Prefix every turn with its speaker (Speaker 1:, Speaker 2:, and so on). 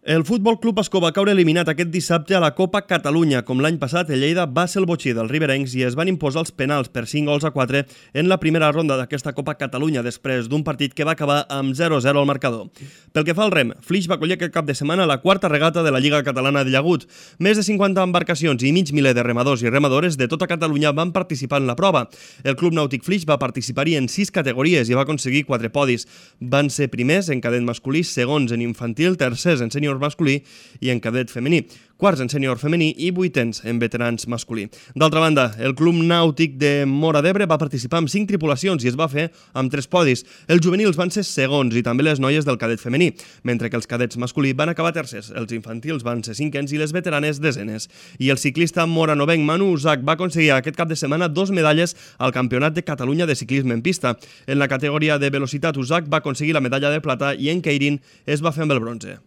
Speaker 1: El Futbol Club Ascó va caure eliminat aquest dissabte a la Copa Catalunya. Com l'any passat, el Lleida va ser el botxí dels riberencs i es van imposar els penals per 5-4 en la primera ronda d'aquesta Copa Catalunya, després d'un partit que va acabar amb 0-0 al marcador. Pel que fa al rem, Flix va acollir aquest cap de setmana la quarta regata de la Lliga Catalana de Llagut. Més de 50 embarcacions i mig miler de remadors i remadores de tota Catalunya van participar en la prova. El Club Nàutic Flix va participar-hi en 6 categories i va aconseguir 4 podis. Van ser primers en cadet masculí, segons en infantil, tercers en sènior masculí i en cadet femení, quarts en sènior femení i vuitens en veterans masculí. D'altra banda, el Club Nàutic de Móra d'Ebre va participar amb 5 tripulacions i es va fer amb 3 podis. Els juvenils van ser segons i també les noies del cadet femení, mentre que els cadets masculí van acabar tercers, els infantils van ser cinquens i les veteranes desenes. I el ciclista moranovenc Manu Usac va aconseguir aquest cap de setmana 2 medalles al Campionat de Catalunya de ciclisme en pista. En la categoria de velocitat, Usac va aconseguir la medalla de plata i en Keirin es va fer amb el bronze.